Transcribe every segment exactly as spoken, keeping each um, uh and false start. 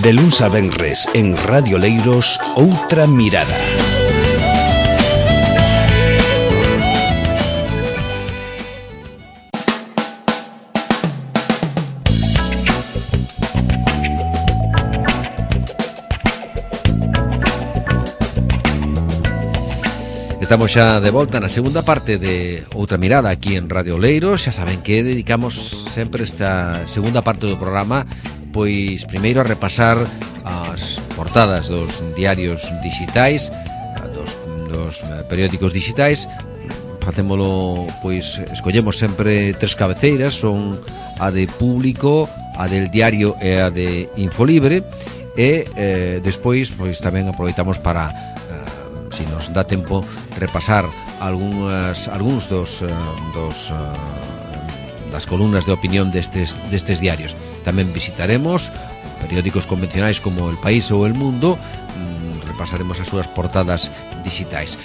De luns a venres en Radio Leiros, Outra Mirada. Estamos xa de volta na segunda parte de Outra Mirada aquí en Radio Leiros. Xa saben que dedicamos sempre esta segunda parte do programa pois primeiro a repasar as portadas dos diarios digitais, dos, dos periódicos digitais. Facémolo, pois escollemos sempre tres cabeceiras, son a de Público, a del Diario e a de Infolibre, e eh, despois pois tamén aproveitamos para, eh, si nos dá tempo, repasar algunhas, algúns dos, dos das columnas de opinión destes, destes diarios. Tamén visitaremos periódicos convencionais como El País ou El Mundo, repasaremos as súas portadas digitais.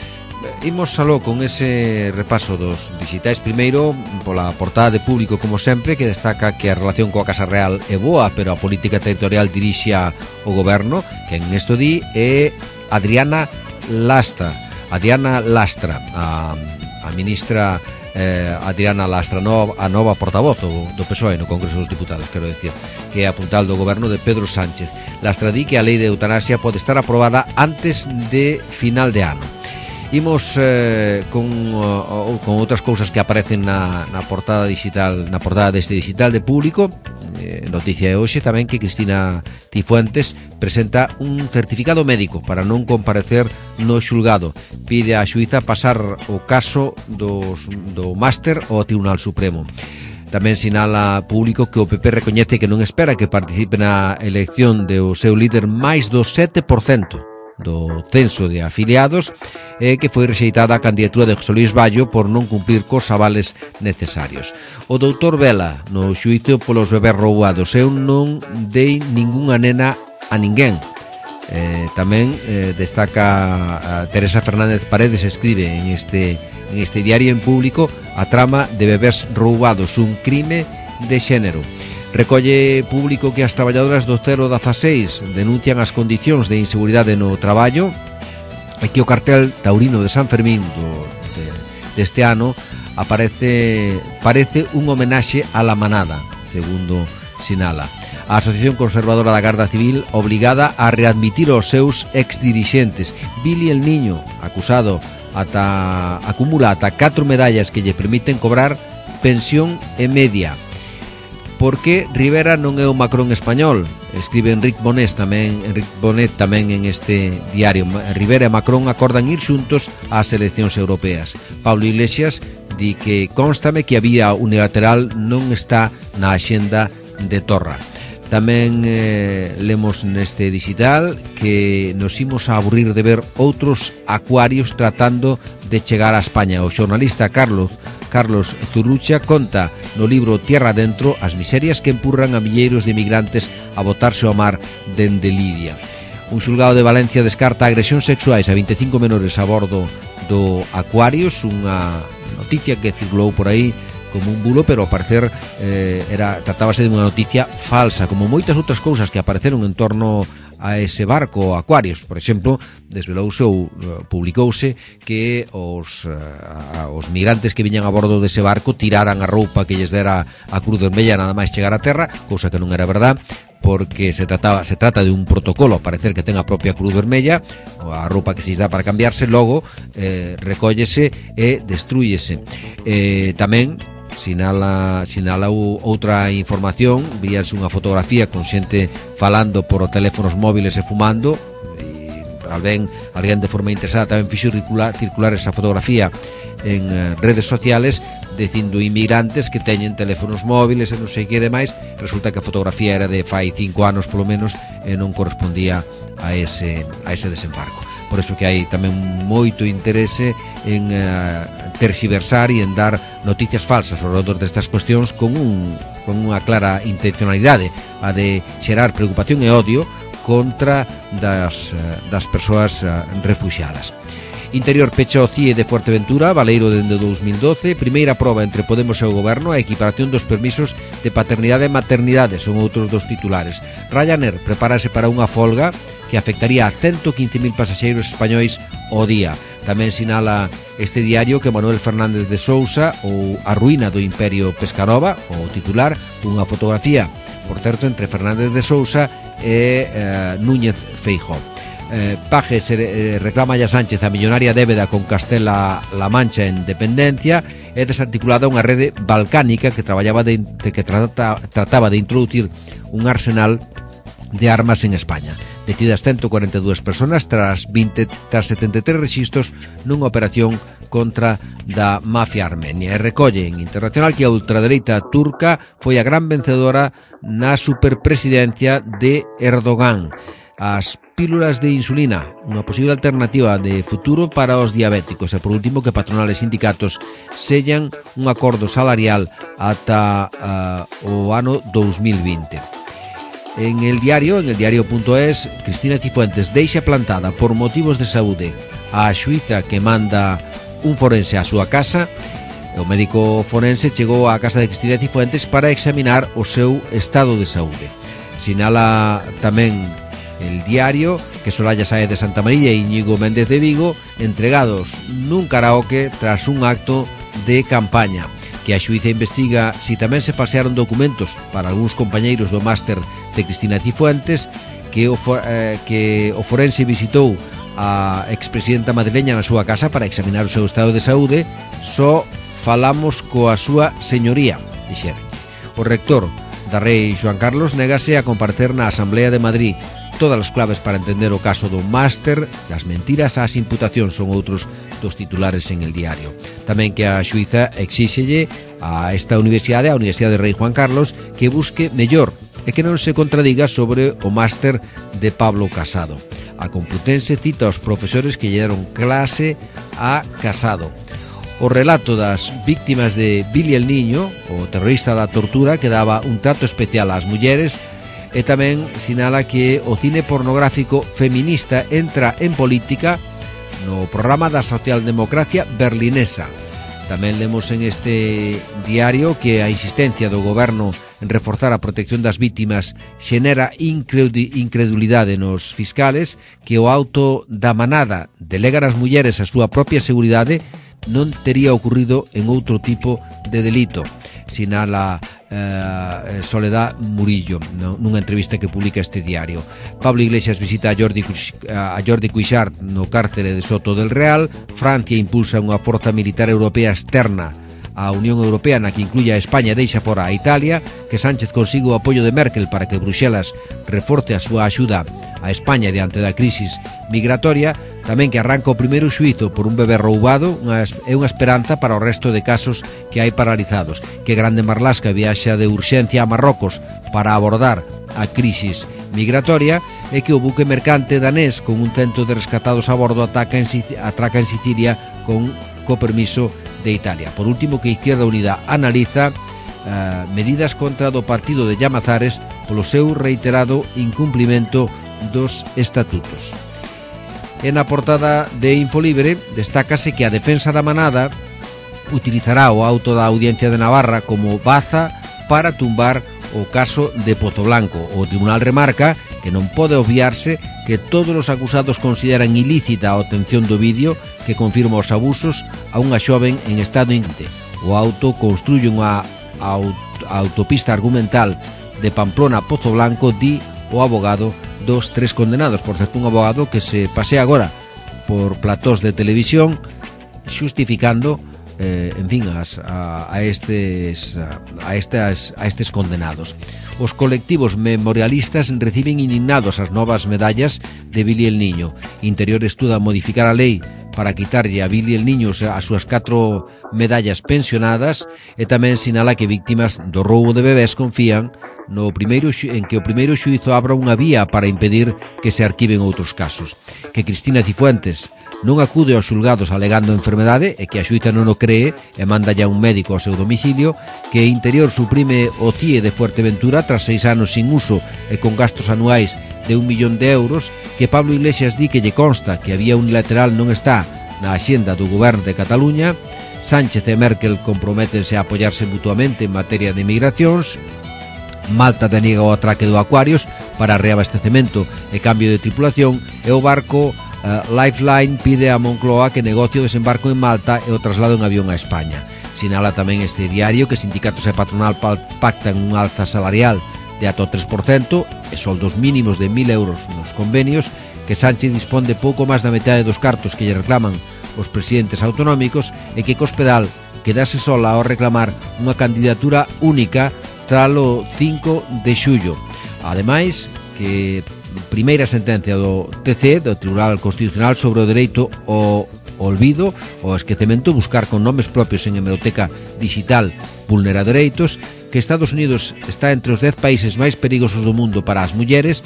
Imos aló con ese repaso dos digitais. Primeiro, pola portada de Público, como sempre, que destaca que a relación coa Casa Real é boa, pero a política territorial dirixa o goberno. Que en esto di é Adriana Lastra. Adriana Lastra, a, a ministra eh, Adriana Lastra, no, a nova portavoz do, do P S O E no Congreso dos Diputados, quero decir, que é a puntal do goberno de Pedro Sánchez. Lastra di que a lei de eutanasia pode estar aprobada antes de final de ano. Imos eh, con, uh, con outras cousas que aparecen na, na portada digital, na portada deste digital de Público. Eh, noticia de hoxe tamén que Cristina Cifuentes presenta un certificado médico para non comparecer no xulgado. Pide á xuíza pasar o caso dos, do máster ao Tribunal Supremo. Tamén sinala Público que o P P recoñece que non espera que participe na elección do seu líder máis do sete por cento do censo de afiliados, e que foi rexeitada a candidatura de José Luís Ballo por non cumplir cos avales necesarios. O doutor Vela no xuízo polos bebés roubados: eu non dei ningunha nena a ninguén. Eh, tamén eh, destaca a Teresa Fernández Paredes, escribe en este, en este diario en Público a trama de bebés roubados, un crime de xénero. Recolle Público que as traballadoras do cero dieciséis denuncian as condicións de inseguridade no traballo, e que o cartel taurino de San Fermín do, de, deste ano aparece, parece un homenaxe a la manada, segundo sinala. A Asociación Conservadora da Garda Civil obligada a readmitir os seus exdirixentes. Billy el Niño, acusado, ata acumula ata catro medallas que lle permiten cobrar pensión e media. Porque Rivera non é o Macron español, escribe Enrique Bonet tamén, Enrique Bonet tamén en este diario. Rivera e Macron acordan ir xuntos ás eleccións europeas. Pablo Iglesias di que constame que a vía unilateral non está na axenda de Torra. Tamén eh, lemos neste digital que nos imos a aburrir de ver outros acuarios tratando de chegar a España. O xornalista Carlos Carlos Zurrucha conta no libro Tierra Adentro as miserias que empurran a milleiros de migrantes a botarse ao mar dende Libia. Un xulgado de Valencia descarta agresións sexuais a vinte e cinco menores a bordo do Aquarius, unha noticia que circulou por aí como un bulo, pero ao parecer eh, era, tratábase de unha noticia falsa, como moitas outras cousas que apareceron en torno a ese barco Aquarius. Por exemplo, desvelouse ou publicouse que os, a, os migrantes que viñan a bordo dese barco tiraran a roupa que lles dera a Cruz Vermella nada máis chegar a terra, cousa que non era verdad, porque se trataba se trata de un protocolo, a parecer que ten a propia Cruz Vermella, a roupa que se lles dá para cambiarse, logo eh, recóllese e destrúyese. Eh, tamén Sinala, sinala outra información, víase unha fotografía con xente falando por teléfonos móviles e fumando, e alguén, alguén de forma interesada tamén fixo circular, circular esa fotografía en uh, redes sociales, dicindo inmigrantes que teñen teléfonos móviles e non sei que demais. Resulta que a fotografía era de fai cinco anos polo menos e non correspondía a ese, a ese desembarco. Por eso que hai tamén moito interese en uh, terxiversar e en dar noticias falsas ao redor destas cuestións con, un, con unha clara intencionalidade, a de xerar preocupación e odio contra das, uh, das persoas uh, refuxiadas. Interior pecha o C I E de Fuerteventura, Baleiro dende dous mil doce. Primeira proba entre Podemos e o Goberno, a equiparación dos permisos de paternidade e maternidade, son outros dos titulares. Ryanair prepárase para unha folga que afectaría a ciento quince mil pasaxeiros españois ao día. Tamén sinala este diario que Manuel Fernández de Sousa, ou a ruína do Imperio Pescanova, o titular, unha fotografía, por certo, entre Fernández de Sousa e eh, Núñez Feijóo. Eh, Paje se eh, reclama a Sánchez a millonaria débeda con Castela-La Mancha en dependencia e desarticulada unha rede balcánica que traballaba de, de que trata, trataba de introducir un arsenal de armas en España. Detidas ciento cuarenta e dúas personas tras, veinte, tras setenta e tres rexistros nunha operación contra da mafia armenia. E recolle en Internacional que a ultradereita turca foi a gran vencedora na superpresidencia de Erdogan. As pílulas de insulina, unha posible alternativa de futuro para os diabéticos. E por último, que patronales e sindicatos sellan un acordo salarial ata uh, o ano dous mil vinte. En el diario, en el diario.es, Cristina Cifuentes deixa plantada por motivos de saúde a xuíza que manda un forense á súa casa. O médico forense chegou á casa de Cristina Cifuentes para examinar o seu estado de saúde. Sinala tamén el diario que Soraya Sáez de Santa María e Íñigo Méndez de Vigo entregados nun karaoke tras un acto de campaña. Que a xuíza investiga si tamén se falsearon documentos para algúns compañeiros do máster de Cristina Cifuentes, que o, eh, que o forense visitou a expresidenta madrileña na súa casa para examinar o seu estado de saúde. Só falamos coa súa señoría, dixeron. O rector da Rei Xoán Carlos negase a comparecer na Asamblea de Madrid. Todas as claves para entender o caso do máster, das mentiras ás imputacións, son outros dos titulares en el diario. Tamén que a xuíza exíxelle a esta universidade, a Universidade de Rei Juan Carlos, que busque mellor e que non se contradiga sobre o máster de Pablo Casado. A Complutense cita aos profesores que lle deron clase a Casado. O relato das víctimas de Billy el Niño, o terrorista da tortura, que daba un trato especial ás mulleres. E tamén sinala que o cine pornográfico feminista entra en política no programa da socialdemocracia berlinesa. Tamén lemos en este diario que a insistencia do goberno en reforzar a protección das vítimas xenera incredulidade nos fiscales, que o auto da manada delega as mulleres a súa propia seguridade non tería ocurrido en outro tipo de delito, sinala eh, Soledad Murillo, no, nunha entrevista que publica este diario. Pablo Iglesias visita a Jordi, a Jordi Cuixart no cárcere de Soto del Real. Francia impulsa unha forza militar europea externa a Unión Europea, na que incluye a España e deixa fora a Italia. Que Sánchez consiga o apoio de Merkel para que Bruxelas reforce a súa axuda a España diante da crisis migratoria. Tamén que arranca o primeiro xuízo por un bebé roubado, unha, é unha esperanza para o resto de casos que hai paralizados. Que Grande Marlasca viaxa de urxencia a Marrocos para abordar a crisis migratoria. E que o buque mercante danés con un cento de rescatados a bordo ataca en, atraca en Sicilia con co permiso de Italia. Por último, que Izquierda Unida analiza uh, medidas contra do partido de Llamazares polo seu reiterado incumplimento dos estatutos. En a portada de Infolibre destácase que a defensa da manada utilizará o auto da Audiencia de Navarra como baza para tumbar o caso de Pozo Blanco. O tribunal remarca que non pode obviarse que todos os acusados consideran ilícita a obtención do vídeo que confirma os abusos a unha xoven en estado íngrete. O auto construye unha autopista argumental de Pamplona a Pozo Blanco, di o abogado dos tres condenados. Por certo, un abogado que se pasea agora por platós de televisión xustificando eh, en fin, as, a, a, estes, a, estas, a estes condenados. Os colectivos memorialistas reciben indignados as novas medallas de Billy el Niño. Interior estuda modificar a lei para quitarlle a Billy el Niño as súas catro medallas pensionadas. E tamén sinala que víctimas do roubo de bebés confían no primeiro en que o primeiro xuízo abra unha vía para impedir que se arquiven outros casos. Que Cristina Cifuentes non acude aos xulgados alegando enfermedade e que a xuíza non o cree e manda ya un médico ao seu domicilio. Que Interior suprime o C I E de Fuerteventura tras seis anos sin uso e con gastos anuais de un millón de euros. Que Pablo Iglesias di que lle consta que a vía unilateral non está na axenda do goberno de Cataluña. Sánchez e Merkel comprométense a apoiarse mutuamente en materia de migracións. Malta deniega o atraque do Aquarius para reabastecemento e cambio de tripulación, e o barco uh, Lifeline pide a Moncloa que negocie o desembarco en Malta e o traslado en avión a España. Sinala tamén este diario que sindicatos e patronal pactan un alza salarial de ata o tres por cento e soldos mínimos de mil euros nos convenios, que Sánchez dispón de pouco máis da metade dos cartos que lle reclaman os presidentes autonómicos, e que Cospedal quedase sola ao reclamar unha candidatura única tralo cinco de xullo. Ademais, que primeira sentencia do T C, do Tribunal Constitucional, sobre o dereito ao olvido, o esquecemento, buscar con nomes propios en hemeroteca digital vulnera dereitos, que Estados Unidos está entre os dez países máis perigosos do mundo para as mulleres,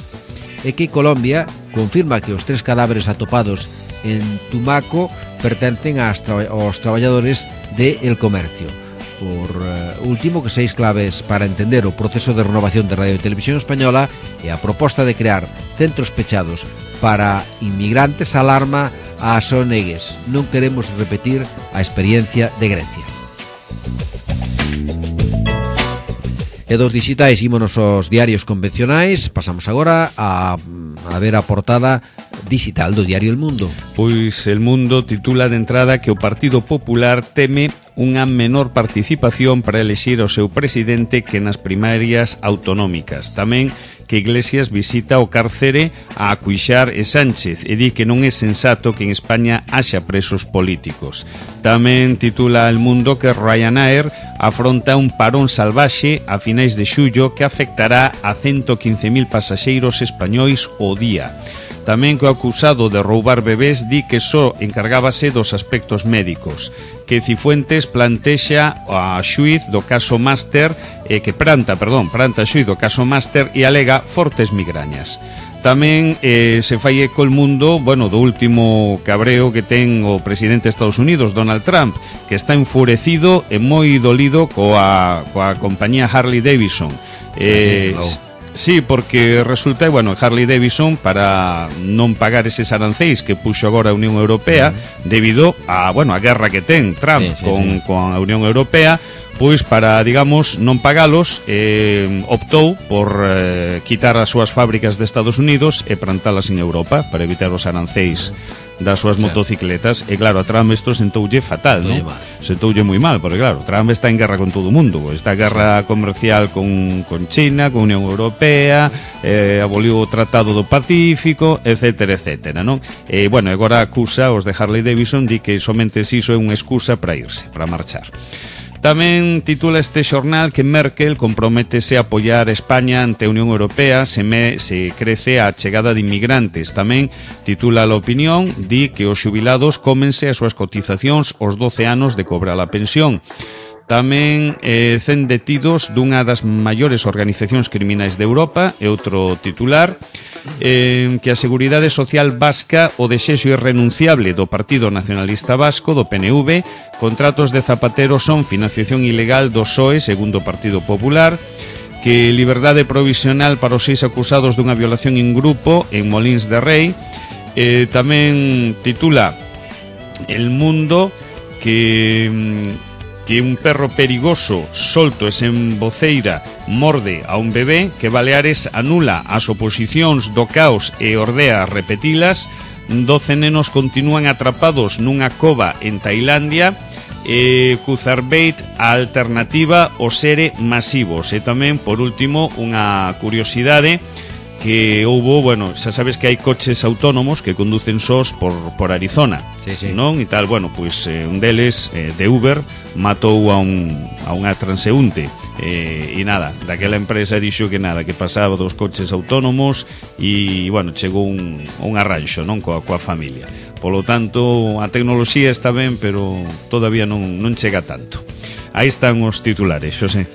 e que Colombia confirma que os tres cadáveres atopados en Tumaco pertencen aos traballadores de El Comercio. Por uh, último, que seis claves para entender o proceso de renovación de Radio e Televisión Española e a proposta de crear centros pechados para inmigrantes alarma ás O N Gs. Non queremos repetir a experiencia de Grecia. E dos digitais ímonos aos diarios convencionais. Pasamos agora a, a ver a portada digital do diario El Mundo. Pois El Mundo titula de entrada que o Partido Popular teme unha menor participación para elexir o seu presidente que nas primarias autonómicas. Tamén que Iglesias visita o cárcere a Cuixart e Sánchez e di que non é sensato que en España haxa presos políticos. Tamén titula El Mundo que Ryanair afronta un parón salvaxe a finais de xullo que afectará a ciento quince mil pasaxeiros españois ao día. Tamén que o acusado de roubar bebés di que só encargábase dos aspectos médicos, que Cifuentes plantexa a xuiz do caso Máster, eh, que planta, perdón, planta a xuiz do caso Máster e alega fortes migrañas. Tamén eh, se fai eco El Mundo, bueno, do último cabreo que ten o presidente de Estados Unidos, Donald Trump, que está enfurecido e moi dolido coa, coa compañía Harley Davidson. Eh, sí, Sí, porque resulta, bueno, Harley Davidson, para non pagar eses aranceis que puxo agora a Unión Europea, uh-huh. debido a, bueno, a guerra que ten Trump sí, sí, con, sí. con a Unión Europea, pois para, digamos, non pagalos, eh, optou por eh, quitar as súas fábricas de Estados Unidos e plantalas en Europa para evitar os aranceis das súas motocicletas. E claro, a Trump isto sentoulle fatal, non? Sentoulle moi mal, porque claro, Trump está en guerra con todo o mundo, está en guerra comercial con, con China, con Unión Europea, eh, aboliu o Tratado do Pacífico, etcétera, etcétera, non? E, bueno, agora acusa os de Harley Davidson de que somente iso é unha excusa para irse, para marchar. Tamén titula este xornal que Merkel comprométese a apoiar a España ante a Unión Europea se, me, se crece a chegada de inmigrantes. Tamén titula La Opinión, di que os xubilados cómense as súas cotizacións os doce anos de cobrar a pensión. Tamén eh, cen detidos dunha das maiores organizacións criminais de Europa, e outro titular, eh, que a Seguridade Social Vasca o desexo irrenunciable do Partido Nacionalista Vasco, do P N V, contratos de Zapatero son financiación ilegal do P S O E, segundo o Partido Popular, que liberdade provisional para os seis acusados dunha violación en grupo en Molins de Rei. Eh, tamén titula El Mundo que... que un perro perigoso solto e sen voceira morde a un bebé, que Baleares anula as oposicións do caos e ordea repetilas, doce nenos continúan atrapados nunha cova en Tailandia, e Cuzarbeit a alternativa aos sere masivos. E tamén, por último, unha curiosidade, que houbo, bueno, xa sabes que hai coches autónomos que conducen sós por, por Arizona, sí, sí. non? E tal, bueno, pois eh, un deles, eh, de Uber, matou a, un, a unha transeúnte, eh, e nada, daquela empresa dixo que nada, que pasaba dos coches autónomos e, bueno, chegou un, un arranxo, non? Coa, coa familia. Polo tanto, a tecnoloxía está ben, pero todavía non, non chega tanto. Aí están os titulares, Xosé.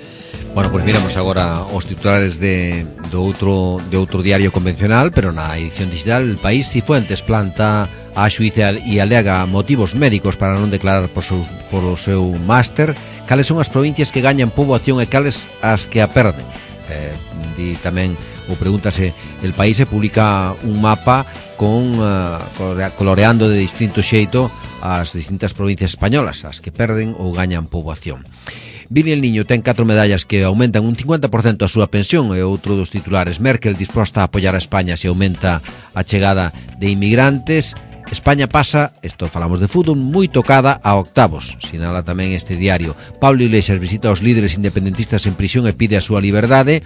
Bueno, pois pues miramos agora os titulares de, do outro, de outro diario convencional, pero na edición digital. El País: Cifuentes planta a xuíza e alega motivos médicos para non declarar por, su, por o seu máster. Cales son as provincias que gañan poboación e cales as que a perden? Eh, di tamén, ou pregúntase, El País se publica un mapa con uh, coloreando de distinto xeito as distintas provincias españolas, as que perden ou gañan poboación. Vini el Niño ten catro medallas que aumentan un cincuenta por cento a súa pensión, e outro dos titulares. Merkel disposta a apoiar a España se aumenta a chegada de inmigrantes. España pasa, isto falamos de fútbol, moi tocada a octavos, sinala tamén este diario. Pablo Iglesias visita aos líderes independentistas en prisión e pide a súa liberdade.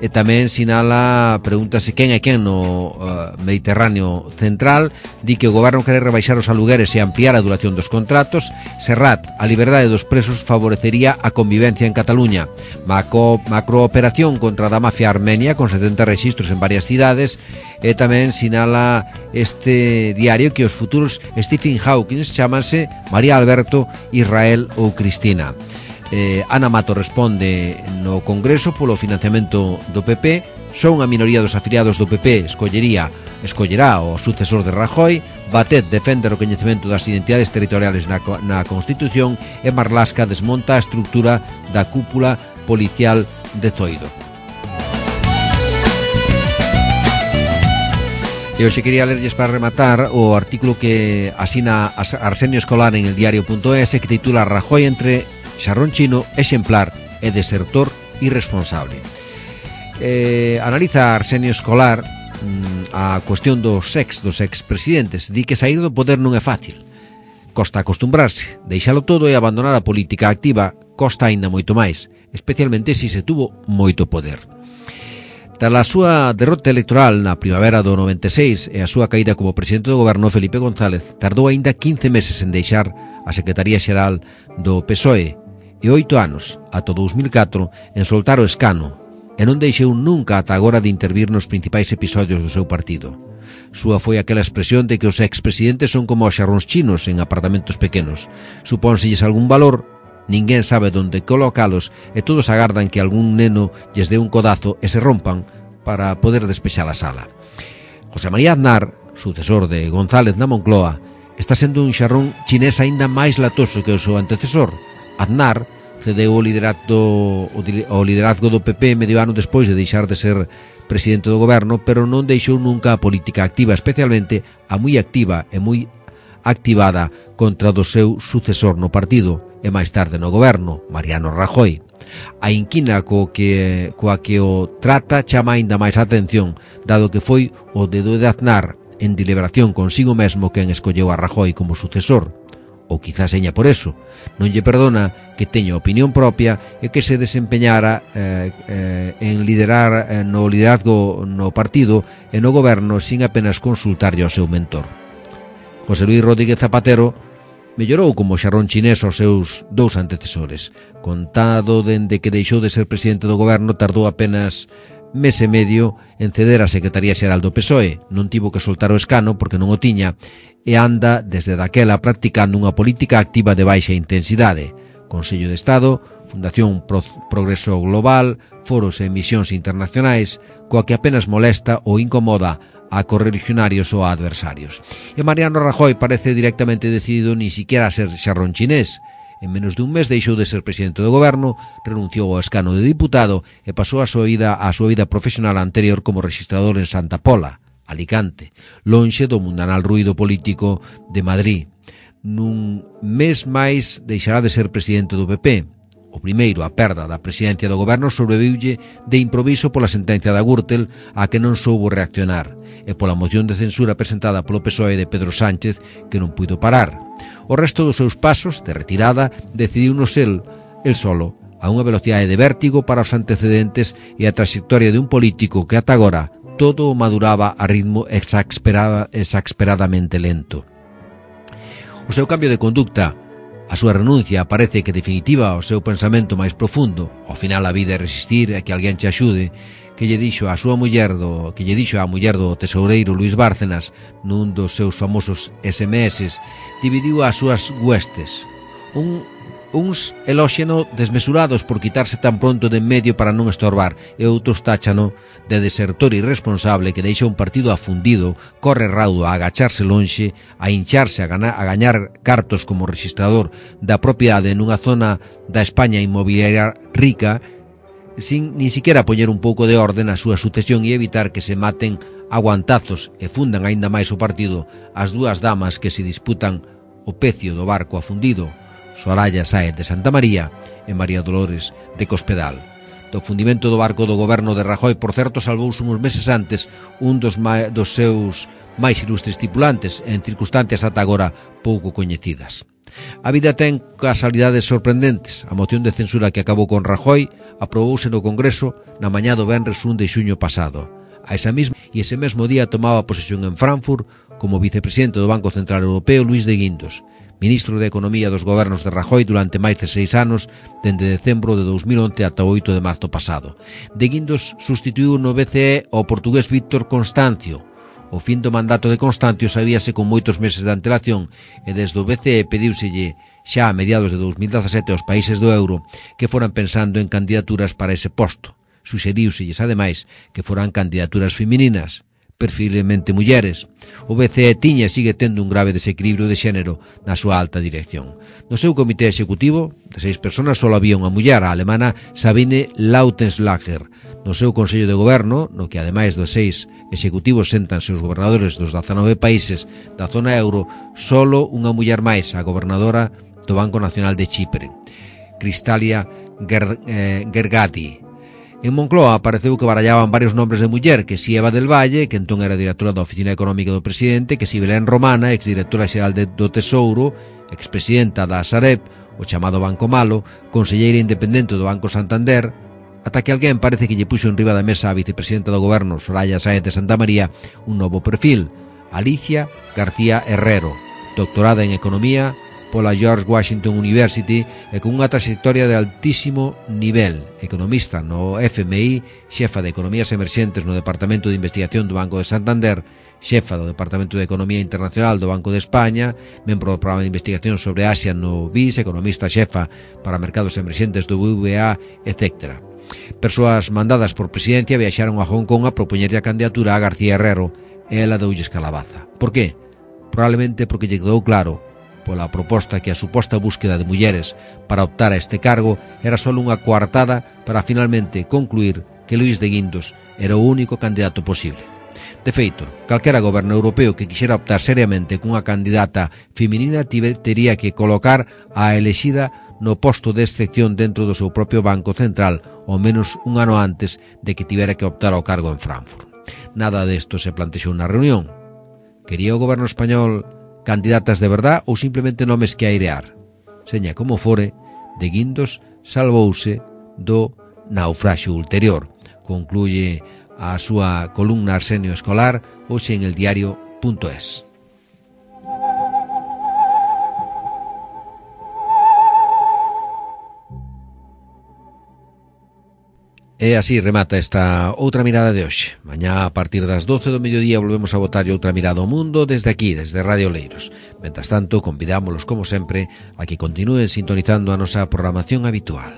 E tamén sinala, pregúntase quen é quen no uh, Mediterráneo Central. Di que o goberno quere rebaixar os alugueres e ampliar a duración dos contratos. Serrat, a liberdade dos presos favorecería a convivencia en Cataluña. Macro, macrooperación contra a mafia armenia con setenta rexistros en varias cidades. E tamén sinala este diario que os futuros Stephen Hawking chámanse María Alberto, Israel ou Cristina. Eh, Ana Mato responde no Congreso polo financiamento do P P. Só unha minoría dos afiliados do P P escollería, escollerá o sucesor de Rajoy. Batet defende o recoñecemento das identidades territoriales na, na Constitución. E Marlasca desmonta a estructura da cúpula policial de Zoido. E hoxe quería lerlles para rematar o artículo que asina Arsenio Escolar en el diario punto es, que titula Rajoy entre xarrón chino, exemplar e desertor irresponsable. Eh, analiza Arsenio Escolar mm, a cuestión dos ex, dos expresidentes. Di que sair do poder non é fácil. Costa acostumbrarse, deixalo todo e abandonar a política activa costa aínda moito máis, especialmente se se tuvo moito poder. Tras a súa derrota electoral na primavera do noventa e seis e a súa caída como presidente do goberno, Felipe González tardou aínda quince meses en deixar a Secretaría Xeral do P S O E e oito anos, ata dous mil catro, en soltar o escano, e non deixou nunca ata agora de intervir nos principais episodios do seu partido. Súa foi aquela expresión de que os expresidentes son como os xarróns chinos en apartamentos pequenos. Supónselles algún valor, ninguén sabe onde colocalos e todos agardan que algún neno lles dé un codazo e se rompan para poder despexar a sala. José María Aznar, sucesor de González na Moncloa, está sendo un xarrón chinés aínda máis latoso que o seu antecesor. Aznar cedeu o liderazgo, o liderazgo do P P medio ano despois de deixar de ser presidente do goberno, pero non deixou nunca a política activa, especialmente a moi activa e moi activada contra do seu sucesor no partido e máis tarde no goberno, Mariano Rajoy. A inquina co que, coa que o trata chama aínda máis a atención, dado que foi o dedo de Aznar en deliberación consigo mesmo quen escolleu a Rajoy como sucesor. Ou quizás seña por eso, non lle perdona que teña opinión propia e que se desempeñara eh, eh, en liderar eh, no liderazgo no partido e no goberno sin apenas consultarlle ao seu mentor. José Luis Rodríguez Zapatero mellorou como xarrón chinés aos seus dous antecesores. Contado dende que deixou de ser presidente do goberno, tardou apenas mes e medio en ceder a Secretaría Xeral do P S O E. Non tivo que soltar o escano porque non o tiña e anda desde daquela practicando unha política activa de baixa intensidade. Consello de Estado, Fundación Pro Progreso Global, foros e misións internacionais, coa que apenas molesta ou incomoda a correligionarios ou a adversarios. E Mariano Rajoy parece directamente decidido ni siquiera a ser xarrón chinés. En menos de un mes deixou de ser presidente do goberno, renunciou ao escano de diputado e pasou a súa vida, a súa vida profesional anterior como registrador en Santa Pola, Alicante, lonxe do mundanal ruído político de Madrid. Nun mes máis deixará de ser presidente do P P. O primeiro, a perda da presidencia do goberno, sobreviulle de improviso pola sentencia da Gürtel a que non soubo reaccionar e pola moción de censura presentada polo P S O E de Pedro Sánchez que non puido parar. O resto dos seus pasos de retirada decidiunos el, el solo, a unha velocidade de vértigo para os antecedentes e a trayectoria de un político que ata agora todo o maduraba a ritmo exasperada, exasperadamente lento. O seu cambio de conducta, a súa renuncia, parece que definitiva ao seu pensamento máis profundo, ao final a vida é resistir e que alguén te axude, que lle dixo a súa muller do, que lle dixo a muller do tesoureiro Luis Bárcenas nun dos seus famosos S M S, dividiu as súas huestes. Un, uns elóxeno desmesurados por quitarse tan pronto de en medio para non estorbar e outros táchano de desertor irresponsable que deixa un partido afundido, corre raudo a agacharse lonxe, a hincharse a, gana, a gañar cartos como registrador da propiedade nunha zona da España inmobiliaria rica, sin ni siquiera poñer un pouco de orde na súa sucesión e evitar que se maten aguantazos e fundan aínda máis o partido as dúas damas que se disputan o pecio do barco afundido Soraya Sáez de Santa María e María Dolores de Cospedal. Do fundimento do barco do goberno de Rajoy, por certo, salvouse uns meses antes un dos, ma- dos seus máis ilustres tripulantes en circunstancias ata agora pouco coñecidas. A vida ten casualidades sorprendentes. A moción de censura que acabou con Rajoy aprobouse no Congreso na mañá do venres un de xuño pasado. A esa mesma e ese mesmo día tomaba posesión en Frankfurt como vicepresidente do Banco Central Europeo Luís de Guindos, ministro de Economía dos gobernos de Rajoy durante máis de seis anos, dende decembro de dos mil once ata o oito de marzo pasado. De Guindos sustituiu no B C E ao portugués Víctor Constancio. O fin do mandato de Constancio sabíase con moitos meses de antelación e desde o B C E pediuselle xa a mediados de dos mil dezasete aos países do euro que foran pensando en candidaturas para ese posto. Suxeriuselles, ademais, que foran candidaturas femininas, perfilmente mulleres. O B C E tiña e sigue tendo un grave desequilibrio de xénero na súa alta dirección. No seu comité executivo, de seis personas, só había unha muller, a alemana Sabine Lautenschlager. No seu Consello de Goberno, no que ademais dos seis executivos séntanse os gobernadores dos dezanove países da zona euro, solo unha muller máis, a gobernadora do Banco Nacional de Chipre, Cristalia Ger, eh, Gergati. En Moncloa apareceu que barallaban varios nombres de muller, que si Eva del Valle, que entón era directora da Oficina Económica do Presidente, que si Belén Romana, exdirectora xeral de, do Tesouro, expresidenta da Sareb, o chamado Banco Malo, conselleira independente do Banco Santander, ata que alguén parece que lle puxo en riba da mesa a vicepresidenta do goberno, Soraya Sáez de Santa María, un novo perfil, Alicia García Herrero, doctorada en Economía pola George Washington University e con unha trayectoria de altísimo nivel, economista no F M I, xefa de Economías Emerxentes no Departamento de Investigación do Banco de Santander, xefa do Departamento de Economía Internacional do Banco de España, membro do Programa de Investigación sobre Asia no B I S, economista xefa para mercados emerxentes do B V A, etcétera. Persoas mandadas por presidencia viaxaron a Hong Kong a propoñerlle a candidatura a García Herrero e ela doulles calabaza. Por qué? Probablemente porque lle quedou claro pola proposta que a suposta búsqueda de mulleres para optar a este cargo era só unha coartada para finalmente concluir que Luís de Guindos era o único candidato posible. De feito, calquera goberno europeo que quixera optar seriamente cunha candidata feminina tería que colocar a elexida no posto de excepción dentro do seu propio Banco Central ao menos un ano antes de que tivera que optar ao cargo en Frankfurt. Nada desto se plantexou na reunión. Quería o goberno español candidatas de verdad ou simplemente nomes que airear? Seña como fore, de Guindos salvouse do naufraxio ulterior. Concluye a súa columna Arsenio Escolar hoxe en el diario punto es. E así remata esta outra mirada de hoxe. Mañá, a partir das doce do mediodía, volvemos a botar outra mirada ao mundo desde aquí, desde Radio Leiros. Mentas tanto, convidámoslos, como sempre, a que continúen sintonizando a nosa programación habitual.